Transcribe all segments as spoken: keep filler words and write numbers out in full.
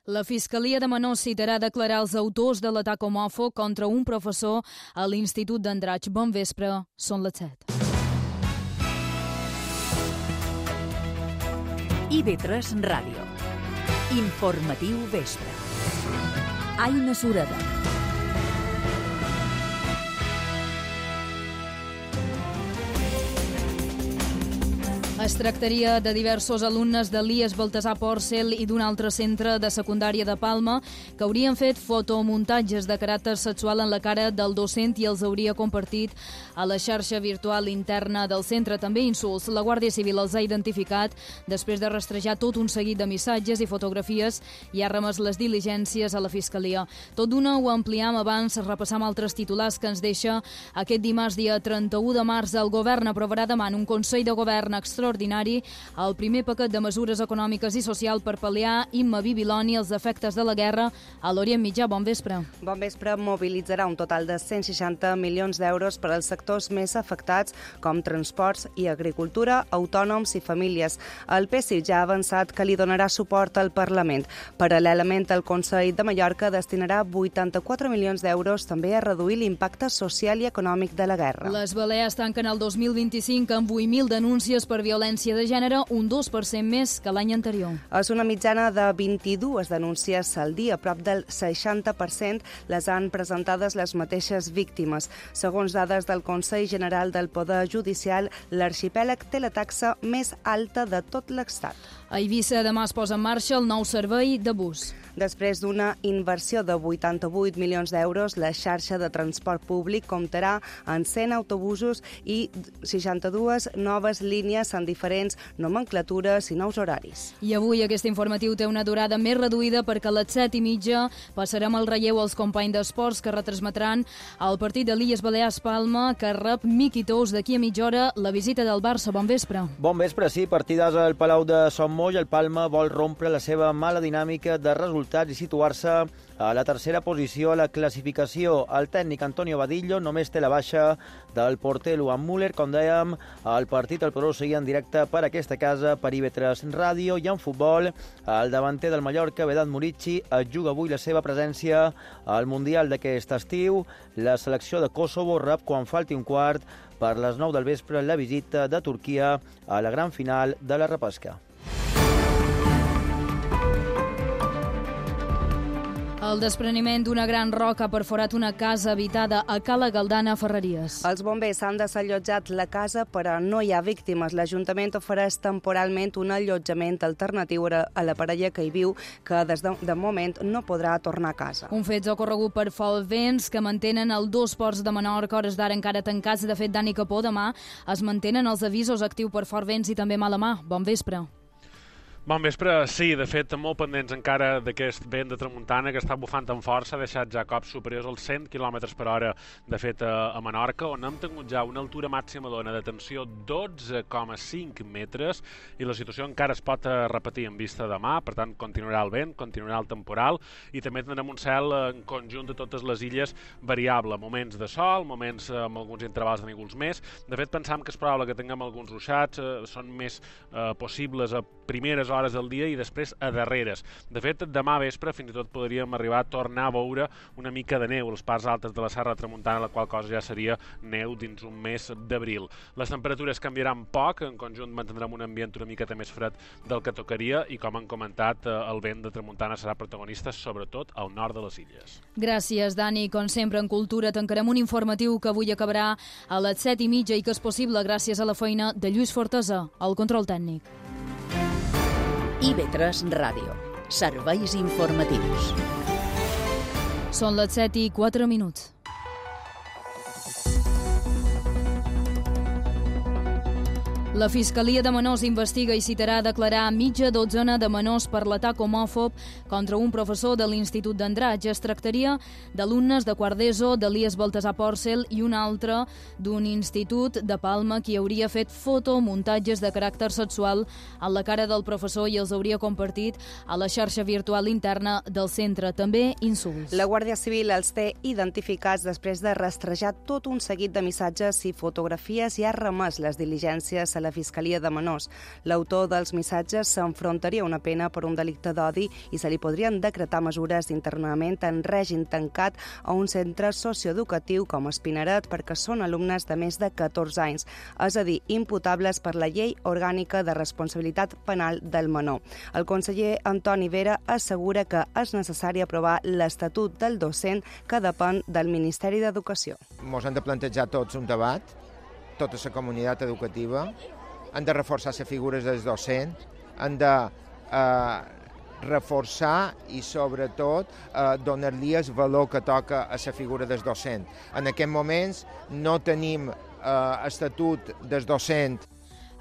La Fiscalia de Menors citarà a declarar els autors de l'atac homòfob contra un professor a l'Institut d'Andratx. Bon vespre, són les set. I V tres Ràdio. Informatiu vespre. Aina Sureda. Es tractaria de diversos alumnes de l'I E S Baltasar Porcel i d'un altre centre de secundària de Palma que haurien fet fotomuntatges de caràcter sexual en la cara del docent i els hauria compartit a la xarxa virtual interna del centre. També insults. La Guàrdia Civil els ha identificat després de rastrejar tot un seguit de missatges i fotografies i ha remès les diligències a la Fiscalia. Tot d'una ho ampliam abans, repassam altres titulars que ens deixa aquest dimarts, dia trenta-u de març. El govern aprovarà demà en un Consell de Govern extraordinari ordinari el primer paquet de mesures econòmiques i social per pal·liar Imma Bibiloni els efectes de la guerra a l'Orient Mitjà. Bon vespre. Bon vespre. Mobilitzarà un total de cent seixanta milions d'euros per als sectors més afectats com transports i agricultura, autònoms i famílies. El P S I ja ha avançat que li donarà suport al Parlament. Paral·lelament, el Consell de Mallorca destinarà vuitanta-quatre milions d'euros també a reduir l'impacte social i econòmic de la guerra. Les Balears tanquen el dos mil vint-i-cinc amb vuit mil denúncies per violència violència de gènere, un dos per cent més que l'any anterior. És una mitjana de vint-i-dues denúncies al dia, prop del seixanta per cent les han presentades les mateixes víctimes. Segons dades del Consell General del Poder Judicial, l'arxipèlag té la taxa més alta de tot l'Estat. A Eivissa demà es posa en marxa el nou servei de bus. Després d'una inversió de vuitanta-vuit milions d'euros, la xarxa de transport públic comptarà amb cent autobusos i seixanta-dues noves línies en diferents nomenclatures i nous horaris. I avui aquest informatiu té una durada més reduïda perquè a les set i mitja passarem el relleu als companys d'esports que retransmetran el partit de l'Illes Balears Palma, que rep Miqui Tous d'aquí a mitja hora la visita del Barça. Bon vespre. Bon vespre, sí. Partides al Palau de Son Moll. El Palma vol rompre la seva mala dinàmica de resultats i situar-se a la tercera posició a la classificació. El tècnic Antonio Badillo només té la baixa del porter Luan Müller. Com dèiem, el partit el podreu seguir en directe per aquesta casa, per I V tres Ràdio. I en futbol, el davanter del Mallorca, Vedat Murici, es juga avui la seva presència al Mundial d'aquest estiu. La selecció de Kosovo rep, quan falti un quart, per les nou del vespre, la visita de Turquia a la gran final de la repesca. El despreniment d'una gran roca ha perforat una casa habitada a Cala Galdana, a Ferreries. Els bombers han desallotjat la casa, però no hi ha víctimes. L'Ajuntament ofereix temporalment un allotjament alternatiu a la parella que hi viu, que des de, de moment no podrà tornar a casa. Un fet ocorregut per Folvents, que mantenen els dos ports de Menorca, hores d'ara encara tancats. De fet, Dani Capó, demà es mantenen els avisos actius per Folvents i també Malamà. Bon vespre. Bon vespre, sí, de fet, molt pendents encara d'aquest vent de tramuntana que està bufant amb força, ha deixat ja cops superiors als cent quilòmetres per hora, de fet, a Menorca, on hem tingut ja una altura màxima d'ona de tensió dotze coma cinc metres, i la situació encara es pot repetir en vista demà. Per tant, continuarà el vent, continuarà el temporal, i també tindrem un cel en conjunt de totes les illes variable, moments de sol, moments amb alguns intervals de núvols més. De fet, pensam que és probable que tinguem alguns ruixats, eh, són més eh, possibles a primeres hores del dia i després a darreres. De fet, demà vespre fins i tot podríem arribar a tornar a veure una mica de neu a les parts altes de la Serra Tramuntana, la qual cosa ja seria neu dins un mes d'abril. Les temperatures canviaran poc, en conjunt mantindrem un ambient una miqueta més fred del que tocaria i, com han comentat, el vent de tramuntana serà protagonista sobretot al nord de les illes. Gràcies, Dani. Com sempre, en Cultura tancarem un informatiu que avui acabarà a les set i mitja i que és possible gràcies a la feina de Lluís Fortesa, al control tècnic. I V tres Ràdio. Serveis informatius. Són les set i quatre minuts. La Fiscalia de Menors investiga i citarà a declarar mitja dotzena de menors per l'atac homòfob contra un professor de l'Institut d'Andratx. Es tractaria d'alumnes de quart d'ESO de l'I E S Baltasar Porcel i un altre d'un institut de Palma qui hauria fet fotomuntatges de caràcter sexual a la cara del professor i els hauria compartit a la xarxa virtual interna del centre. També insults. La Guàrdia Civil els té identificats després de rastrejar tot un seguit de missatges i fotografies i ha remès les diligències a la Fiscalia de Menors. L'autor dels missatges s'enfrontaria a una pena per un delicte d'odi i se li podrien decretar mesures d'internament en règim tancat a un centre socioeducatiu com Espinaret perquè són alumnes de més de catorze anys, és a dir, imputables per la Llei Orgànica de Responsabilitat Penal del Menor. El conseller Antoni Vera assegura que és necessari aprovar l'Estatut del docent que depèn del Ministeri d'Educació. Ens hem de plantejar tots un debat, tota la comunitat educativa, han de reforçar les figures dels docents, han de eh, reforçar i, sobretot, eh, donar-li el valor que toca a la figura del docent. En aquests moments no tenim eh, estatut del docent.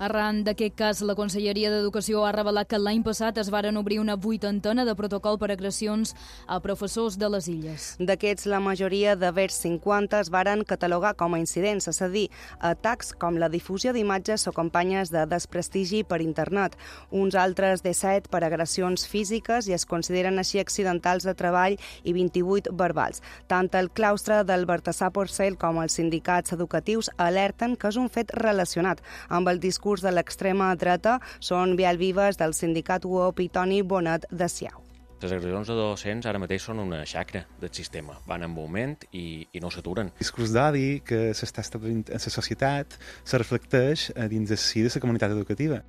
Arran d'aquest cas, la Conselleria d'Educació ha revelat que l'any passat es varen obrir una vuitantena de protocol per agressions a professors de les Illes. D'aquests, la majoria de vers cinquanta es varen catalogar com a incidents, és a dir, atacs com la difusió d'imatges o campanyes de desprestigi per internet. Uns altres disset per agressions físiques i es consideren així accidentals de treball i vint-i-vuit verbals. Tant el claustre del Baltasar Porcel com els sindicats educatius alerten que és un fet relacionat amb el discurs de l'extrema dreta. Són vial vives del sindicat U O P i Toni Bonet de Siau. Les agressions de docents ara mateix són una xacra del sistema. Van en moment i, i no s'aturen. El discurs d'odi que s'està establint en la societat se reflecteix dins de si de la comunitat educativa.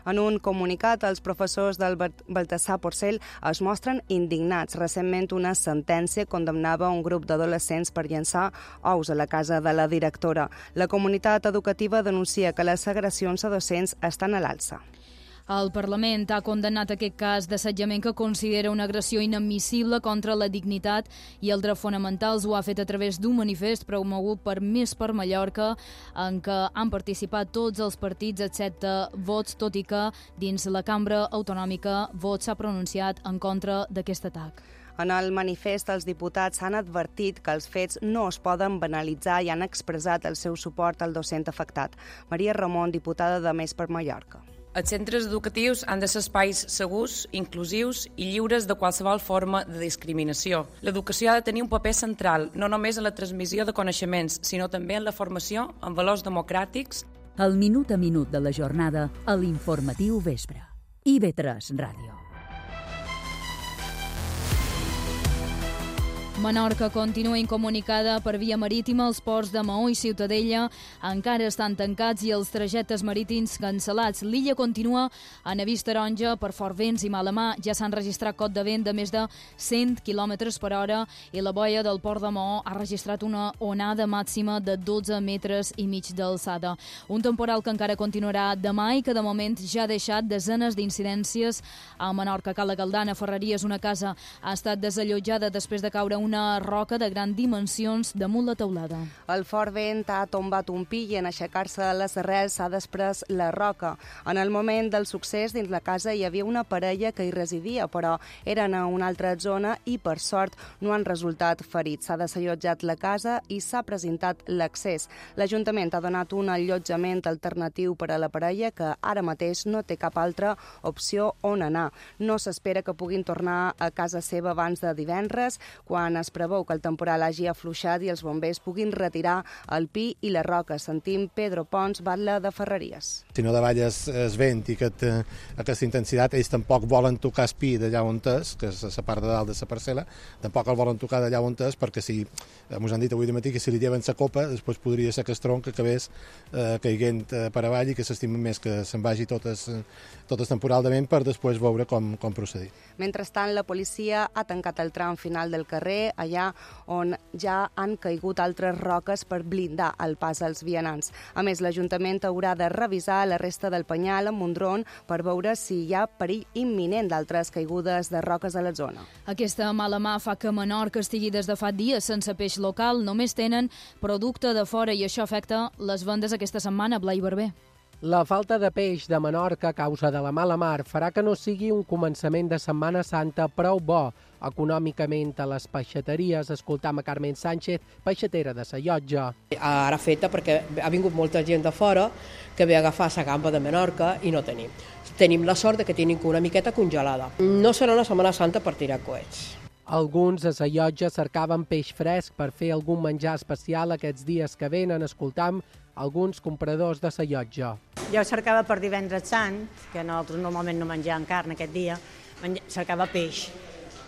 En un comunicat, els professors del Baltasar Porcel es mostren indignats. Recentment, una sentència condemnava un grup d'adolescents per llançar ous a la casa de la directora. La comunitat educativa denuncia que les agressions a docents estan a l'alça. El Parlament ha condemnat aquest cas d'assetjament que considera una agressió inadmissible contra la dignitat i els drets fonamentals. Ho ha fet a través d'un manifest promogut per Més per Mallorca, en què han participat tots els partits excepte Vots, tot i que dins la cambra autonòmica Vots s'ha pronunciat en contra d'aquest atac. En el manifest, els diputats han advertit que els fets no es poden banalitzar i han expressat el seu suport al docent afectat. Maria Ramon, diputada de Més per Mallorca. Els centres educatius han de ser espais segurs, inclusius i lliures de qualsevol forma de discriminació. L'educació ha de tenir un paper central, no només en la transmissió de coneixements, sinó també en la formació en valors democràtics. El minut a minut de la jornada a l'informatiu vespre. I V tres Ràdio. Menorca continua incomunicada per via marítima. Els ports de Maó i Ciutadella encara estan tancats i els trajectes marítims cancel·lats. L'illa continua en avís taronja per fort vents i mala mà. Ja s'han registrat cot de vent de més de cent quilòmetres per hora i la boia del port de Maó ha registrat una onada màxima de dotze metres i mig d'alçada. Un temporal que encara continuarà demà i que de moment ja ha deixat desenes d'incidències a Menorca. Cala Galdana, Ferreries, una casa ha estat desallotjada després de caure una roca de grans dimensions damunt la teulada. El fort vent ha tombat un pi i en aixecar-se les arrels s'ha desprès la roca. En el moment del succés, dins la casa hi havia una parella que hi residia, però eren a una altra zona i, per sort, no han resultat ferits. S'ha desallotjat la casa i s'ha presentat l'accés. L'Ajuntament ha donat un allotjament alternatiu per a la parella que ara mateix no té cap altra opció on anar. No s'espera que puguin tornar a casa seva abans de divendres, quan es preveu que el temporal hagi afluixat i els bombers puguin retirar el pi i la roca. Sentim Pedro Pons, batlle de Ferreries. Si no davalles es vent i aquest, aquesta intensitat, ells tampoc volen tocar el pi d'allà on és, que és la part de dalt de la parcel·la, tampoc el volen tocar d'allà on és, perquè si, ens han dit avui de matí que si li lleven la copa, després podria ser que el tronc acabés eh, caiguent per avall i que s'estimen més que se'n vagi tot el, tot el temporal de vent per després veure com, com procedir. Mentrestant, la policia ha tancat el tram final del carrer, allà on ja han caigut altres roques per blindar el pas als vianants. A més, l'Ajuntament haurà de revisar la resta del penyal amb un dron per veure si hi ha perill imminent d'altres caigudes de roques a la zona. Aquesta mala mà fa que Menorca estigui des de fa dies sense peix local. Només tenen producte de fora i això afecta les vendes aquesta setmana. Blai Barber. La falta de peix de Menorca a causa de la mala mar farà que no sigui un començament de Setmana Santa prou bo econòmicament a les peixateries. Escoltam a Carmen Sánchez, peixatera de Sa Llotja. Ara feta perquè ha vingut molta gent de fora que ve a agafar la gamba de Menorca i no tenim. Tenim la sort de que tenim una miqueta congelada. No serà una Setmana Santa per tirar coets. Alguns a Sa Llotja cercaven peix fresc per fer algun menjar especial aquests dies que venen. Escoltam alguns compradors de la llotja. Jo cercava per divendres sant, que nosaltres normalment no mengem carn aquest dia, cercava peix.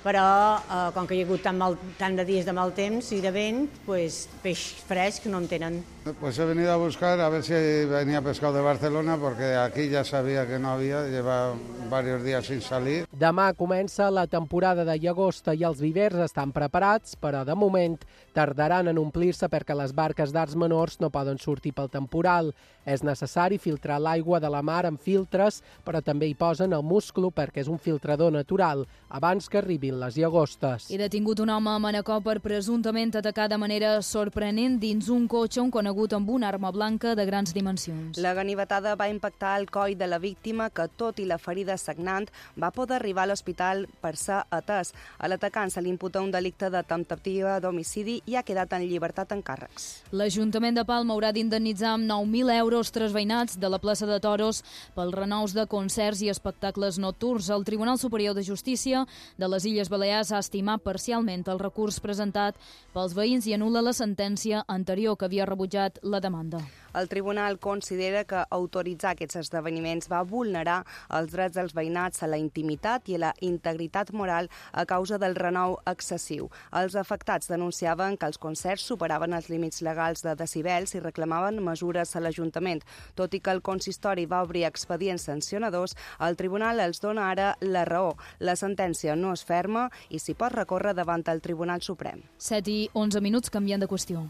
Però eh, com que hi ha hagut tant, mal, tant de dies de mal temps i de vent, pues, peix fresc no en tenen. Pues he venido a buscar a ver si venía pescado de Barcelona, porque aquí ya sabía que no había, lleva varios días sin salir. Demà comença la temporada de llagosta i els vivers estan preparats, però de moment tardaran en omplir-se perquè les barques d'arts menors no poden sortir pel temporal. És necessari filtrar l'aigua de la mar amb filtres, però també hi posen el musclo perquè és un filtrador natural, abans que arribin les llagostes. I detingut un home a Manacor per presumptament atacar de manera sorprenent dins un cotxe un conegut amb una arma blanca de grans dimensions. La ganivetada va impactar el coll de la víctima, que, tot i la ferida sagnant, va poder arribar a l'hospital per ser atès. A l'atacant se li imputa un delicte de temptativa d'homicidi i ha quedat en llibertat en càrrecs. L'Ajuntament de Palma haurà d'indemnitzar amb nou mil euros tres veïnats de la plaça de Toros pels renous de concerts i espectacles nocturns. El Tribunal Superior de Justícia de les Illes Balears ha estimat parcialment el recurs presentat pels veïns i anul·la la sentència anterior que havia rebutjat la demanda. El tribunal considera que autoritzar aquests esdeveniments va vulnerar els drets dels veïnats a la intimitat i a la integritat moral a causa del renou excessiu. Els afectats denunciaven que els concerts superaven els límits legals de decibels i reclamaven mesures a l'Ajuntament. Tot i que el consistori va obrir expedients sancionadors, el tribunal els dona ara la raó. La sentència no és ferma i s'hi pot recórrer davant el Tribunal Suprem. set i onze minuts, canviant de qüestió.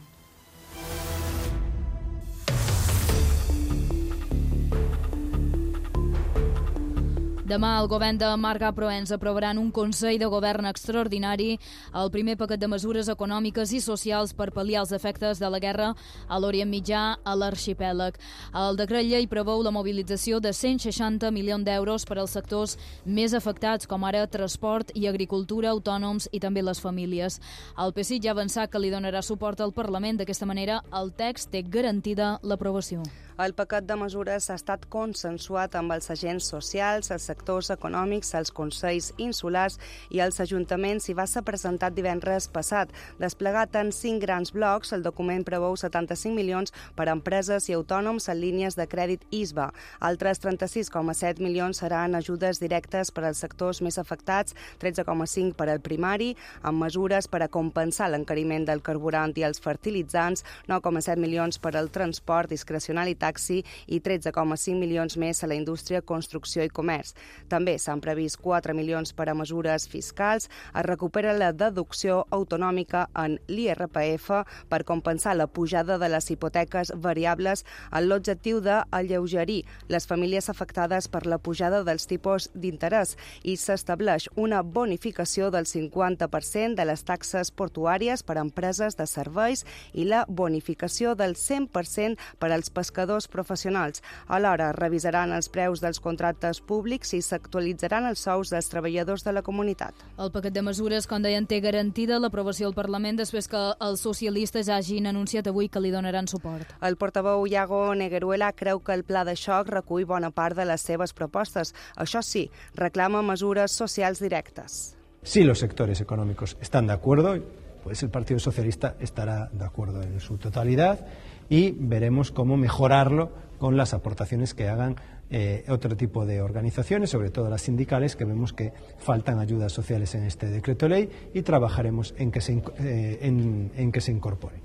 Demà el govern de Marga Proens aprovarà en un Consell de Govern extraordinari el primer paquet de mesures econòmiques i socials per pal·liar els efectes de la guerra a l'Orient Mitjà, a l'arxipèlag. El decret llei preveu la mobilització de cent seixanta milions d'euros per als sectors més afectats, com ara transport i agricultura, autònoms i també les famílies. El P S I ja ha avançat que li donarà suport al Parlament. D'aquesta manera, el text té garantida l'aprovació. El paquet de mesures ha estat consensuat amb els agents socials, els sectors econòmics, els consells insulars i els ajuntaments i va ser presentat divendres passat. Desplegat en cinc grans blocs, el document preveu setanta-cinc milions per a empreses i autònoms en línies de crèdit I S B A. Altres trenta-sis coma set milions seran ajudes directes per als sectors més afectats, tretze coma cinc per al primari, amb mesures per a compensar l'encariment del carburant i els fertilitzants, nou coma set milions per al transport discrecional i taxi i tretze coma cinc milions més a la indústria, construcció i comerç. També s'han previst quatre milions per a mesures fiscals. Es recupera la deducció autonòmica en l'I R P F per compensar la pujada de les hipoteques variables amb l'objectiu d'alleugerir les famílies afectades per la pujada dels tipus d'interès i s'estableix una bonificació del cinquanta per cent de les taxes portuàries per a empreses de serveis i la bonificació del cent per cent per als pescadors professionals. Alhora, revisaran els preus dels contractes públics i s'actualitzaran els sous dels treballadors de la comunitat. El paquet de mesures, com deien, té garantida l'aprovació al Parlament després que els socialistes hagin anunciat avui que li donaran suport. El portaveu Iago Negueruela creu que el pla de xoc recull bona part de les seves propostes. Això sí, reclama mesures socials directes. Si los sectores económicos están de acuerdo, pues el Partido Socialista estará de acuerdo en su totalidad y veremos cómo mejorarlo con las aportaciones que hagan eh, otro tipo de organizaciones, sobre todo las sindicales, que vemos que faltan ayudas sociales en este decreto ley y trabajaremos en que se, eh, en, en que se incorpore.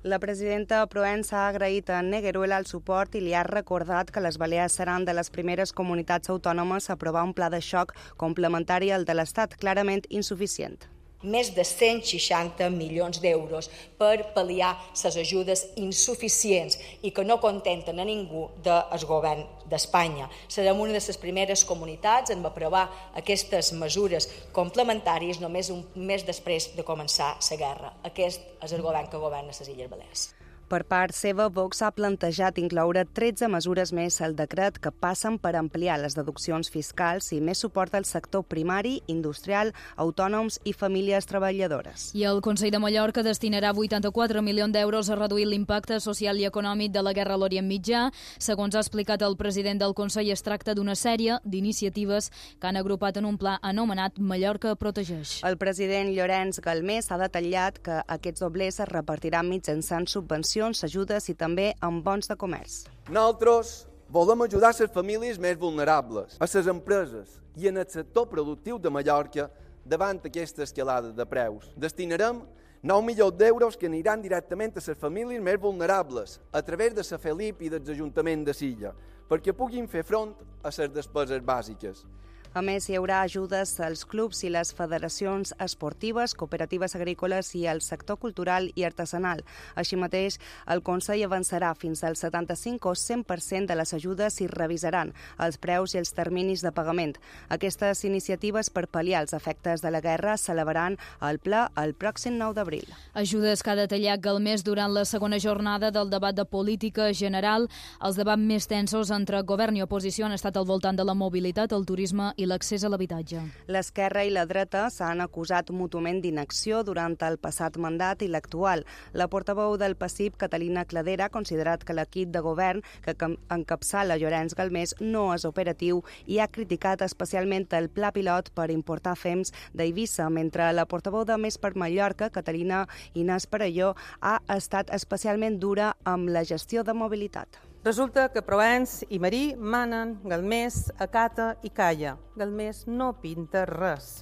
La presidenta Proens ha agraït a Negueruela el suport i li ha recordat que les Balears seran de les primeres comunitats autònomes a aprovar un pla de xoc complementari al de l'Estat, clarament insuficient. Més de cent seixanta milions d'euros per pal·liar les ajudes insuficients i que no contenten a ningú del govern d'Espanya. Serem una de les primeres comunitats en aprovar aquestes mesures complementàries només un mes després de començar la guerra. Aquest és el govern que governa les Illes Balears. Per part seva, Vox ha plantejat incloure tretze mesures més al decret que passen per ampliar les deduccions fiscals i més suport al sector primari, industrial, autònoms i famílies treballadores. I el Consell de Mallorca destinarà vuitanta-quatre milions d'euros a reduir l'impacte social i econòmic de la guerra a l'Orient Mitjà. Segons ha explicat el president del Consell, es tracta d'una sèrie d'iniciatives que han agrupat en un pla anomenat Mallorca Protegeix. El president Llorenç Galmés ha detallat que aquests doblers es repartiran mitjançant subvencions subvencions, ajudes i també amb bons de comerç. Nosaltres volem ajudar les famílies més vulnerables, a les empreses i en el sector productiu de Mallorca davant aquesta escalada de preus. Destinarem nou milions d'euros que aniran directament a les famílies més vulnerables a través de la Felip i dels ajuntaments de Silla perquè puguin fer front a les despeses bàsiques. A més, hi haurà ajudes als clubs i les federacions esportives, cooperatives agrícoles i al sector cultural i artesanal. Així mateix, el Consell avançarà fins al setanta-cinc o cent per cent de les ajudes i revisaran els preus i els terminis de pagament. Aquestes iniciatives per pal·liar els efectes de la guerra s'elevaran al ple el pròxim nou d'abril. Ajudes que ha detallat Galmés durant la segona jornada del debat de política general. Els debats més tensos entre govern i oposició han estat al voltant de la mobilitat, el turisme i l'accés a l'habitatge. L'esquerra i la dreta s'han acusat mútuament d'inacció durant el passat mandat i l'actual. La portaveu del P A S I P, Catalina Cladera, ha considerat que l'equip de govern que encapçala Llorenç Galmés no és operatiu i ha criticat especialment el pla pilot per importar fems d'Eivissa, mentre la portaveu de Més per Mallorca, Catalina Inés Perelló, ha estat especialment dura amb la gestió de mobilitat. Resulta que Provenç i Marí manen, Galmés acata i calla. Galmés no pinta res.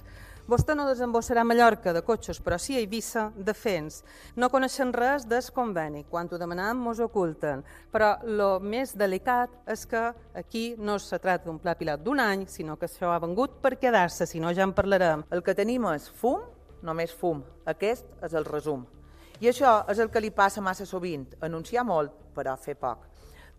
Vostè no desembossarà a Mallorca de cotxes, però sí a Eivissa de fens. No coneixen res del conveni. Quan ho demanam, mos oculten. Però el més delicat és que aquí no se tracta d'un pla pilot d'un any, sinó que això ha vengut per quedar-se, si no ja en parlarem. El que tenim és fum, només fum. Aquest és el resum. I això és el que li passa massa sovint, anunciar molt, però fer poc.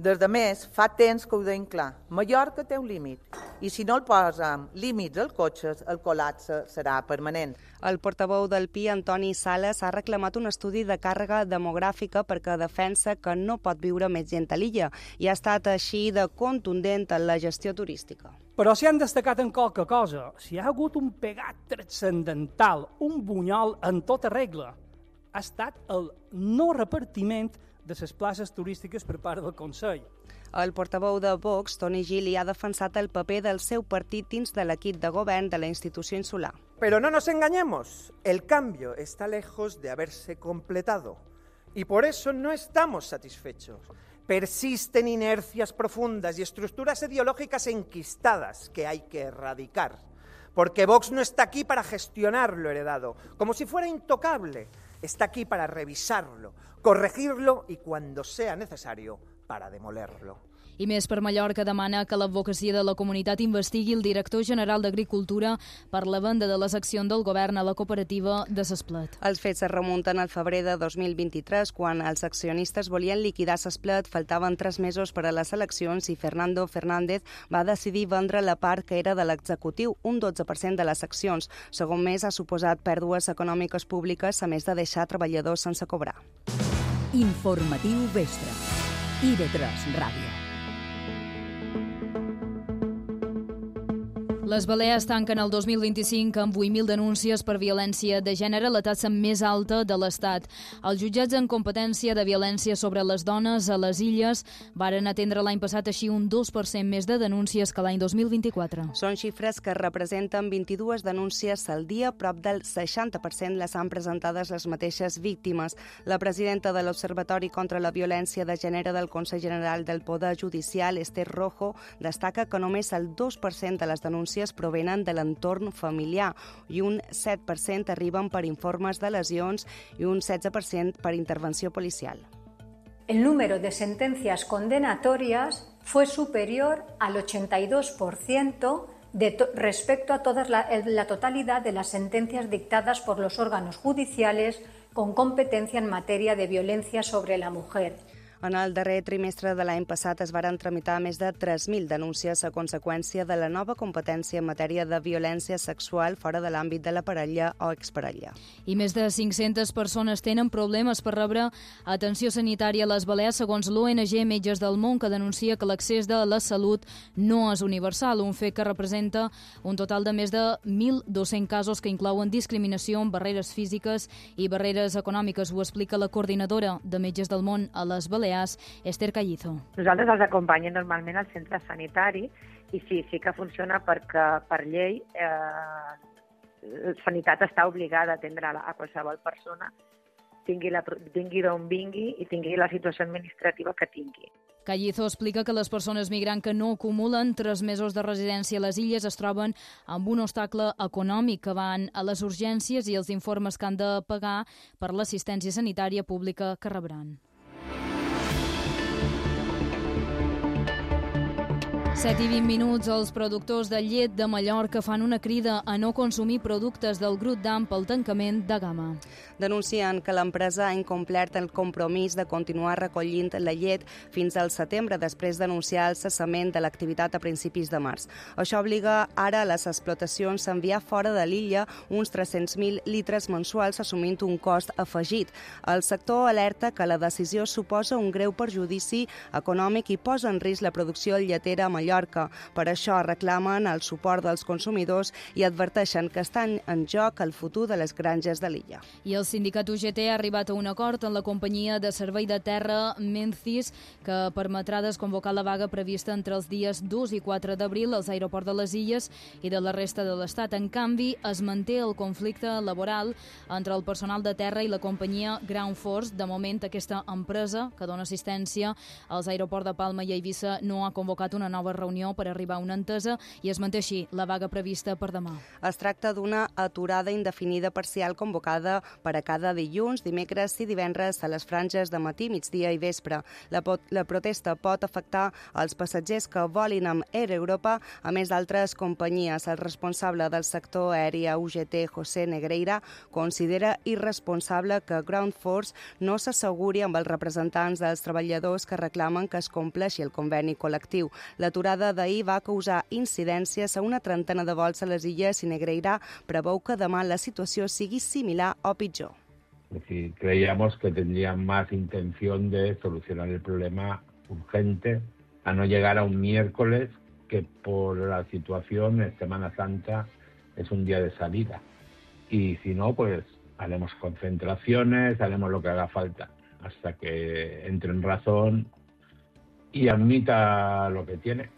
Des de més, fa temps que ho deim clar. Mallorca té un límit i si no el posem límits als cotxes, el col·lapse serà permanent. El portaveu del P I, Antoni Sales, ha reclamat un estudi de càrrega demogràfica perquè defensa que no pot viure més gent a l'illa i ha estat així de contundent en la gestió turística. Però si han destacat en qualque cosa, si hi ha hagut un pegat transcendental, un bunyol en tota regla, ha estat el no repartiment de les places turístiques per part del Consell. El portaveu de Vox, Toni Gili, ha defensat el paper del seu partit dins de l'equip de govern de la institució insular. Pero no nos engañemos, el cambio está lejos de haberse completado y por eso no estamos satisfechos. Persisten inercias profundas y estructuras ideológicas enquistadas que hay que erradicar, porque Vox no está aquí para gestionar lo heredado, como si fuera intocable. Está aquí para revisarlo, corregirlo y, cuando sea necesario, para demolerlo. I Més per Mallorca demana que l'advocacia de la comunitat investigui el director general d'Agricultura per la venda de les accions del govern a la cooperativa de S'Esplet. Els fets es remunten al febrer de dos mil vint-i-tres, quan els accionistes volien liquidar S'Esplet, faltaven tres mesos per a les eleccions i Fernando Fernández va decidir vendre la part que era de l'executiu, un dotze per cent de les accions. Segon Més, ha suposat pèrdues econòmiques públiques, a més de deixar treballadors sense cobrar. Informatiu Vespre. I V tres Ràdio. Les Balears tanquen el dos mil vint-i-cinc amb vuit mil denúncies per violència de gènere, la taxa més alta de l'Estat. Els jutjats en competència de violència sobre les dones a les illes varen atendre l'any passat així un dos per cent més de denúncies que l'any dos mil vint-i-quatre. Són xifres que representen vint-i-dues denúncies al dia, prop del seixanta per cent les han presentades les mateixes víctimes. La presidenta de l'Observatori contra la Violència de Gènere del Consell General del Poder Judicial, Esther Rojo, destaca que només el dos per cent de les denúncies provenen de l'entorn familiar i un set per cent arriben per informes de lesions i un setze per cent per intervenció policial. El número de sentencias condenatorias fue superior al ochenta y dos por ciento de to- respecto a toda la, la totalidad de las sentencias dictadas por los órganos judiciales con competencia en materia de violencia sobre la mujer. En el darrer trimestre de l'any passat es varen tramitar més de tres mil denúncies a conseqüència de la nova competència en matèria de violència sexual fora de l'àmbit de la parella o exparella. I més de cinc-centes persones tenen problemes per rebre atenció sanitària a les Balears, segons l'O N G Metges del Món, que denuncia que l'accés de la salut no és universal, un fet que representa un total de més de mil dos-cents casos que inclouen discriminació, barreres físiques i barreres econòmiques. Ho explica la coordinadora de Metges del Món a les Balears, Esther Callizo. Nosaltres els acompanyem normalment al centre sanitari i sí, sí que funciona perquè per llei eh, Sanitat està obligada a atendre a qualsevol persona tingui, la, tingui d'on vingui i tingui la situació administrativa que tingui. Callizo explica que les persones migrants que no acumulen tres mesos de residència a les illes es troben amb un obstacle econòmic, que van a les urgències i els informes que han de pagar per l'assistència sanitària pública que rebran. set i vint minuts, els productors de llet de Mallorca fan una crida a no consumir productes del grup Damm pel tancament de gamma. Denuncien que l'empresa ha incomplert el compromís de continuar recollint la llet fins al setembre, després d'anunciar el cessament de l'activitat a principis de març. Això obliga ara a les explotacions a enviar fora de l'illa uns tres-cents mil litres mensuals, assumint un cost afegit. El sector alerta que la decisió suposa un greu perjudici econòmic i posa en risc la producció lletera a Mallorca. Per això reclamen el suport dels consumidors i adverteixen que estan en joc el futur de les granges de l'illa. I el sindicat U G T ha arribat a un acord amb la companyia de servei de terra Menzies, que permetrà desconvocar la vaga prevista entre els dies dos i quatre d'abril als aeroports de les illes i de la resta de l'Estat. En canvi, es manté el conflicte laboral entre el personal de terra i la companyia Ground Force. De moment, aquesta empresa, que dona assistència als aeroports de Palma i Eivissa, no ha convocat una nova reunió per arribar a una entesa i es manté així la vaga prevista per demà. Es tracta d'una aturada indefinida parcial convocada per a cada dilluns, dimecres i divendres a les franges de matí, migdia i vespre. La, pot, la protesta pot afectar els passatgers que volin amb Air Europa, a més d'altres companyies. El responsable del sector aeri a U G T, José Negreira, considera irresponsable que Ground Force no s'asseguri amb els representants dels treballadors que reclamen que es compleixi el conveni col·lectiu. L'aturada d'ahir va causar incidències a una trentena de vols a les illes i Negreira preveu que demà la situació sigui similar o pitjor. Es decir, creíamos que tendrían más intención de solucionar el problema urgente, a no llegar a un miércoles que por la situación en Semana Santa es un día de salida. Y si no, pues haremos concentraciones, haremos lo que haga falta, hasta que entre en razón y admita lo que tiene.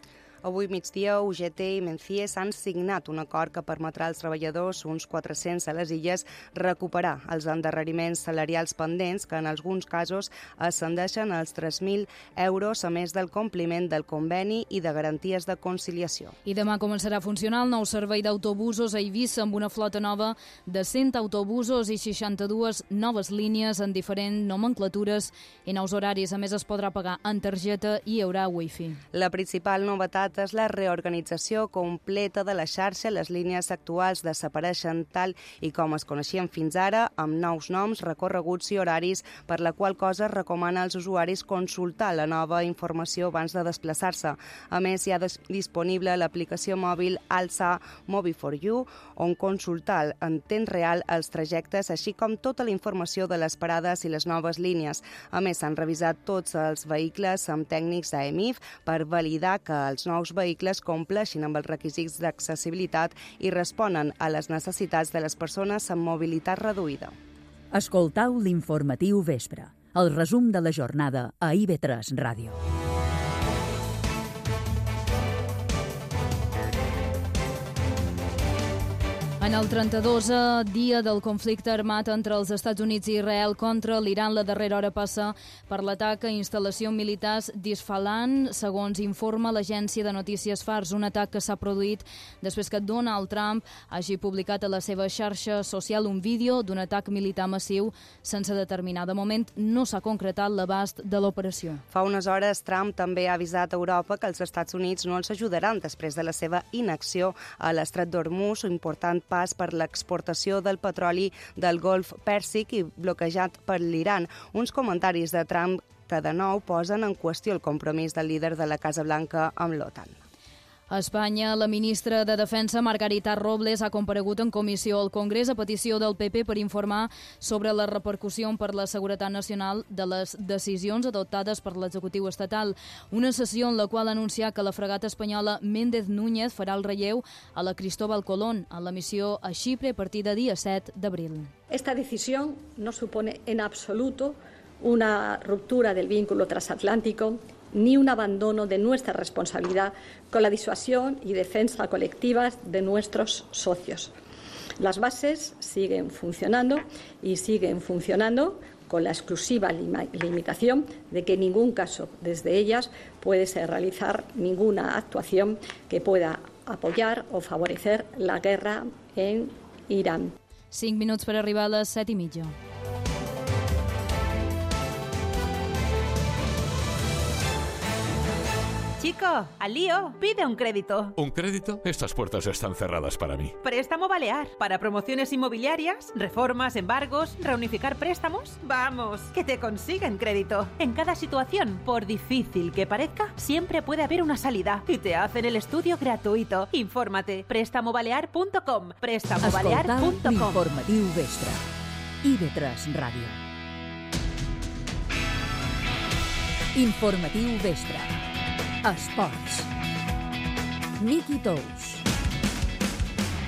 Avui migdia, U G T i Menzies han signat un acord que permetrà als treballadors, uns quatre-cents a les illes, recuperar els endarreriments salarials pendents, que en alguns casos ascendeixen als tres mil euros, a més del compliment del conveni i de garanties de conciliació. I demà començarà a funcionar el nou servei d'autobusos a Eivissa amb una flota nova de cent autobusos i seixanta-dues noves línies en diferents nomenclatures i nous horaris. A més, es podrà pagar en targeta i hi haurà wifi. La principal novetat és la reorganització completa de la xarxa. Les línies actuals desapareixen tal i com es coneixien fins ara, amb nous noms, recorreguts i horaris, per la qual cosa recomana als usuaris consultar la nova informació abans de desplaçar-se. A més, hi ha disponible l'aplicació mòbil Alsa Mobi for You, on consultar en temps real els trajectes, així com tota la informació de les parades i les noves línies. A més, s'han revisat tots els vehicles amb tècnics d'A E M I F per validar que els nous vehicles compleixin amb els requisits d'accessibilitat i responen a les necessitats de les persones amb mobilitat reduïda. Escoltau l'informatiu vespre, el resum de la jornada a I V tres Ràdio. En el trenta-dosè dia del conflicte armat entre els Estats Units i Israel contra l'Iran, la darrera hora passa per l'atac a instal·lacions militars d'Isfahan, segons informa l'agència de notícies Fars, un atac que s'ha produït després que Donald Trump hagi publicat a la seva xarxa social un vídeo d'un atac militar massiu sense determinar. De moment no s'ha concretat l'abast de l'operació. Fa unes hores, Trump també ha avisat a Europa que els Estats Units no els ajudaran després de la seva inacció a l'estret d'Hormuz, un important pas per l'exportació del petroli del Golf Pèrsic i bloquejat per l'Iran. Uns comentaris de Trump que de nou posen en qüestió el compromís del líder de la Casa Blanca amb l'OTAN. A Espanya, la ministra de Defensa, Margarita Robles, ha comparegut en comissió al Congrés a petició del P P per informar sobre la repercussió per la seguretat nacional de les decisions adoptades per l'executiu estatal. Una sessió en la qual ha anunciat que la fragata espanyola Méndez Núñez farà el relleu a la Cristóbal Colón en la missió a Xipre a partir de dia set d'abril. Esta decisión no supone en absoluto una ruptura del vínculo transatlántico ni un abandono de nuestra responsabilidad con la disuasión y defensa colectivas de nuestros socios. Las bases siguen funcionando y siguen funcionando con la exclusiva limitación de que en ningún caso desde ellas puede ser realizar ninguna actuación que pueda apoyar o favorecer la guerra en Irán. Cinc minuts per arribar a les set i mitja. Chico, al lío, pide un crédito. ¿Un crédito? Estas puertas están cerradas para mí. Préstamo Balear. Para promociones inmobiliarias, reformas, embargos, reunificar préstamos. Vamos, que te consiguen crédito. En cada situación, por difícil que parezca, siempre puede haber una salida. Y te hacen el estudio gratuito. Infórmate. préstamo balear punto com. préstamo balear punto com. L'informatiu Vespre. I V tres Ràdio. Informatiu Vespre. Esports. Miqui Tous.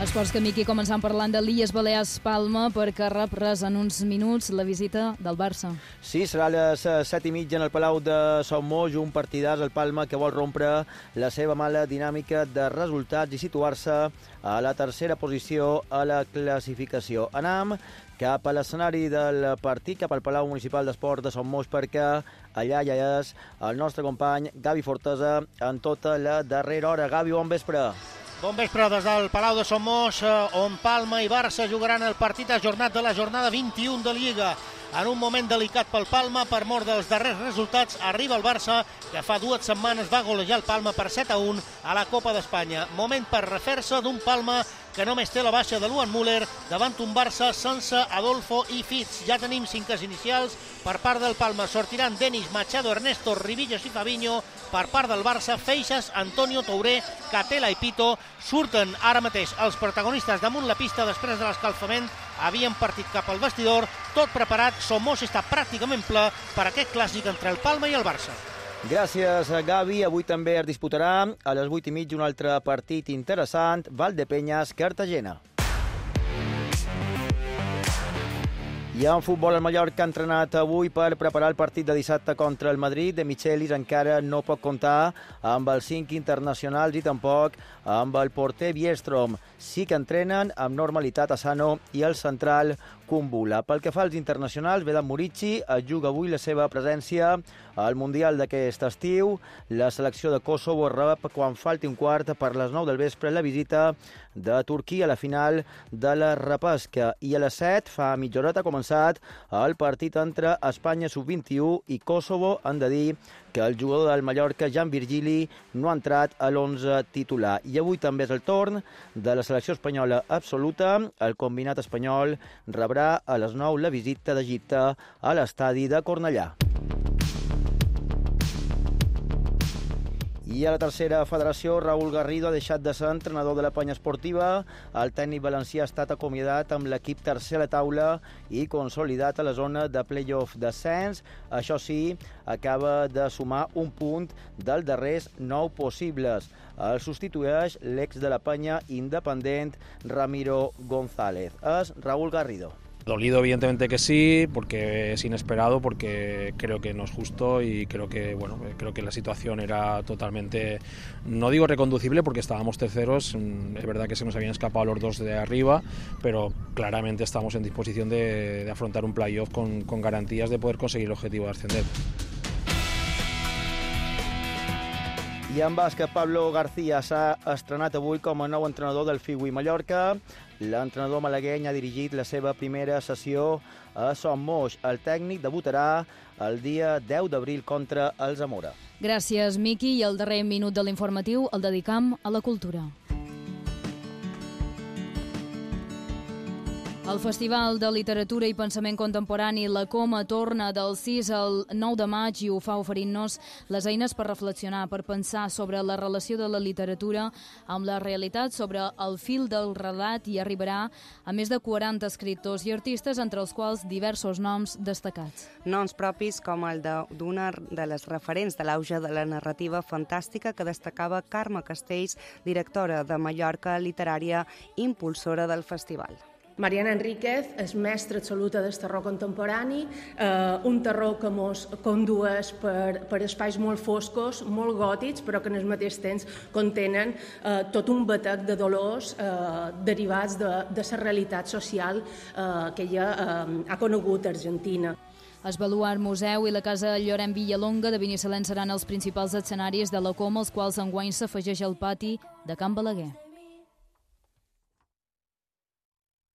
Esports que, Miqui, començant parlant de l'I E S Balears Palma, perquè rep res en uns minuts la visita del Barça. Sí, serà a les set i mitja en el Palau de Son Moix, un partidàs al Palma que vol rompre la seva mala dinàmica de resultats i situar-se a la tercera posició a la classificació. Anam cap a l'escenari del partit, cap al Palau Municipal d'Esport de Son Moix, perquè allà ja és el nostre company Gavi Fortesa en tota la darrera hora. Gavi, bon vespre. Bon vespre des del Palau de Son Moix, on Palma i Barça jugaran el partit ajornat de la jornada vint-i-u de Lliga. En un moment delicat pel Palma, per mort dels darrers resultats, arriba el Barça, que fa dues setmanes va golejar el Palma per set a un a la Copa d'Espanya. Moment per refer-se d'un Palma que només té la baixa de Luan Müller davant un Barça sense Adolfo i Fitz. Ja tenim cinques inicials per part del Palma. Sortiran Denis, Machado, Ernesto, Rivillos i Fabinho. Per part del Barça, Feixas, Antonio, Touré, Catela i Pito. Surten ara mateix els protagonistes damunt la pista després de l'escalfament. Havien partit cap al vestidor, tot preparat. Son Moix està pràcticament ple per aquest clàssic entre el Palma i el Barça. Gràcies, Gavi. Avui també es disputarà a les vuit i mitja un altre partit interessant, Valdepeñas, Cartagena. I en futbol, el Mallorca ha entrenat avui per preparar el partit de dissabte contra el Madrid. De Michelis encara no pot comptar amb els cinc internacionals i tampoc amb el porter Biestrom. Sí que entrenen amb normalitat Asano i el central Kumbula. Pel que fa als internacionals, Vedat Murici juga avui la seva presència al Mundial d'aquest estiu. La selecció de Kosovo rep quan falti un quart per les nou del vespre la visita de Turquia a la final de la repesca. I a les set, fa mitja horeta, ha començat el partit entre Espanya sub vint-i-u i Kosovo. Han de dir que el jugador del Mallorca, Jan Virgili, no ha entrat a l'onze titular. I avui també és el torn de la selecció espanyola absoluta. El combinat espanyol rebrà a les nou la visita d'Egipte a l'estadi de Cornellà. I a la tercera federació, Raúl Garrido ha deixat de ser entrenador de la Penya Esportiva. El tècnic valencià ha estat acomiadat amb l'equip tercer a la taula i consolidat a la zona de play-off descens. Això sí, acaba de sumar un punt dels darrers nou possibles. El substitueix l'ex de la Penya independent, Ramiro González. És Raúl Garrido. Dolido, evidentemente que sí, porque es inesperado, porque creo que no es justo y creo que bueno, creo que la situación era totalmente, no digo reconducible porque estábamos terceros, es verdad que se nos habían escapado los dos de arriba, pero claramente estamos en disposición de, de afrontar un playoff con, con garantías de poder conseguir el objetivo de ascender. I en bàsquet, Pablo García s'ha estrenat avui com a nou entrenador del Figui Mallorca. L'entrenador malagueny ha dirigit la seva primera sessió a Son Moix. El tècnic debutarà el dia deu d'abril contra el Zamora. Gràcies, Miqui. I el darrer minut de l'informatiu el dedicam a la cultura. El Festival de Literatura i Pensament Contemporani La Coma torna del sis al nou de maig i ho fa oferint-nos les eines per reflexionar, per pensar sobre la relació de la literatura amb la realitat, sobre el fil del relat, i arribarà a més de quaranta escriptors i artistes, entre els quals diversos noms destacats. Noms propis com el d'una de les referents de l'auge de la narrativa fantàstica que destacava Carme Castells, directora de Mallorca Literària, impulsora del festival. Mariana Enríquez és mestra absoluta del terror contemporani, eh, un terror que ens condueix per, per espais molt foscos, molt gòtics, però que en el mateix temps contenen eh, tot un batec de dolors eh, derivats de, de la realitat social eh, que ella eh, ha conegut a Argentina. El Baluart Museu i la Casa Llorenç Villalonga de Binissalem seran els principals escenaris de la Coma, els quals enguany s'afegeix al pati de Can Balaguer.